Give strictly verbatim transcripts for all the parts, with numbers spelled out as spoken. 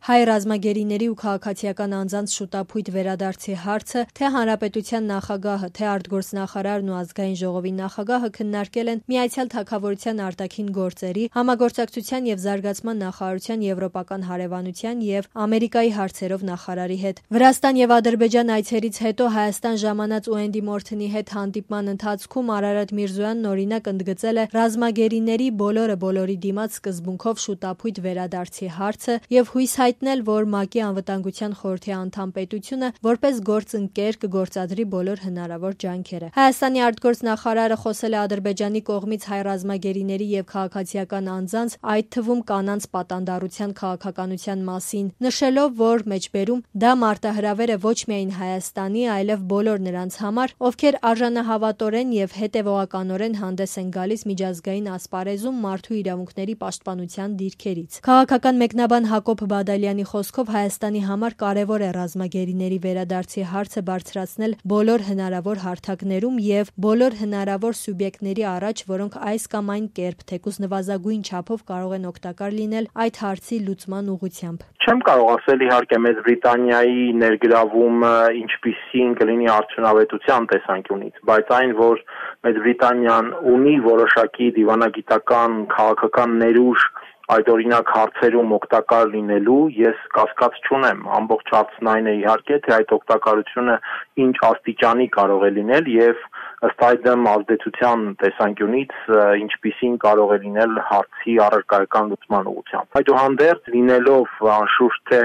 Հայ ռազմագերիների ու քաղաքացիական անձանց շուտափույթ վերադարձի հարցը թե Հանրապետության նախագահը, թե արտգործնախարարն ու Ազգային ժողովի նախագահը քննարկել են Միացյալ Թագավորության արտաքին գործերի, համագործակցության եւ զարգացման նախարարության եվրոպական հարևանության եւ Ամերիկայի հարցերով նախարարի հետ։ Վրաստան եւ Ադրբեջան այցերից հետո Հայաստան ժամանած Ուենդի Մորթոնի հետ հանդիպման ընթացքում Արարատ Միրզոյանն օրինակ ընդգծել է ռազմագերիների բոլորը բոլորի դիմաց սկզբունքով շուտափույթ վերադարձի հարցը եւ հույս հայտնել, որ ՄԱԿ-ի անվտանգության խորհրդի անդամ պետությունը որպես գործընկեր կգործադրի բոլոր հնարավոր ջանքերը։ Հայաստանի արտգործնախարարը խոսել է Ադրբեջանի կողմից հայ ռազմագերիների եւ քաղաքացիական անձանց, այդ թվում կանանց պատանդառության քաղաքականության մասին, նշելով, որ մեջբերում դա մարտահրավեր է ոչ միայն Հայաստանի, այլև բոլոր նրանց համար, ովքեր արժանահավատորեն եւ հետեւողականորեն հանդես են գալիս միջազգային ասպարեզում մարդու իրավունքների պաշտպանության դիրքերից։ Քաղաքական մեկնաբան Հակոբ Բադալյանի խոսքով Հայաստանի համար կարևոր է ռազմագերիների վերադարձի հարցը բարձրացնել բոլոր հնարավոր հարթակներում եւ բոլոր հնարավոր սուբյեկտների առաջ, որոնք այս կամ այն կերպ, թեկուզ նվազագույն չափով կարող են օգտակար լինել այդ հարցի լուծման ուղղությամբ։ Չեմ կարող ասել իհարկե Մեծ Բրիտանիայի ներգրավումը ինչպիսին կլինի արդյունավետության տեսանկյունից, բայց այն, որ Մեծ Բրիտանիան ունի որոշակի դիվանագիտական քաղաքական ներուժ այդ օրինակ հարցերում օգտակար լինելու, ես կասկած չունեմ։ Ամբողջ հարցն այն է իհարկե, թե այդ օգտակարությունը ինչ աստիճանի կարող է լինել եւ ըստ այդմ ազդեցության տեսանկյունից ինչպիսին կարող է լինել հարցի առարկայական լուծման ուղղությամբ։ Այդուհանդերձ լինելով անշուշտ թե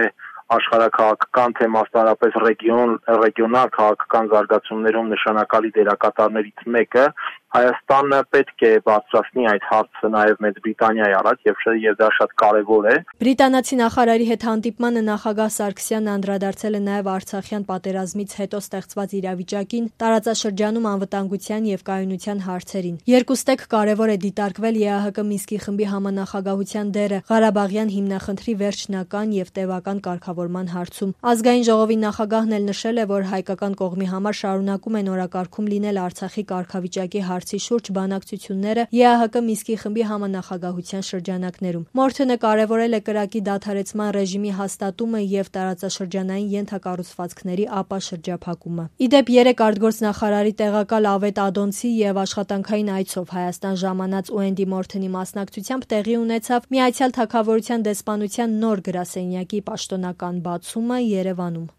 աշխարհաքաղաքական թե մասնարարպես ռեգիոն ռեգիոնալ քաղաքական զարգացումներում նշանակալի դերակատարներից մեկը, Հայաստանը պետք է բարձրացնի այդ հարցը նաև Մեծ Բրիտանիայի առաջ եւ եւ դա շատ կարեւոր է։ Բրիտանացի նախարարի հետ հանդիպմանը նախագահ Սարգսյանն անդրադարձել է նաև Արցախյան պատերազմից հետո ստեղծված իրավիճակին, տարածաշրջանում անվտանգության եւ կայունության հարցերին։ Երկուստեք կարեւոր է դիտարկվել ԵԱՀԿ Մինսկի խմբի համանախագահության դերը Ղարաբաղյան հիմնախնդրի վերջնական եւ տևական կարգավորման հարցում։ Ազգային ժողովի նախագահն էլ նշել է, որ հայկական կողմի համար շարունակում են օրակարգում լինել Արցախի կարգավիճակի հարցի շուրջ բանակցությունները ԵԱՀԿ Մինսկի խմբի համանախագահության շրջանակներում։ Մորթոնը կարևորել է կրակի դադարեցման ռեժիմի հաստատումը եւ տարածաշրջանային ենթակառուցվածքների ապաշրջափակումը։ Իդեպ երեք արտգործնախարարի տեղակալ Ավետ Ադոնցի եւ աշխատանքային այցով Հայաստան ժամանած Ուենդի Մորթոնի մասնակցությամբ տեղի ունեցավ Միացյալ Թագավորության դեսպանության նոր գրասենյակի պաշտոնական բացումը Երևանում։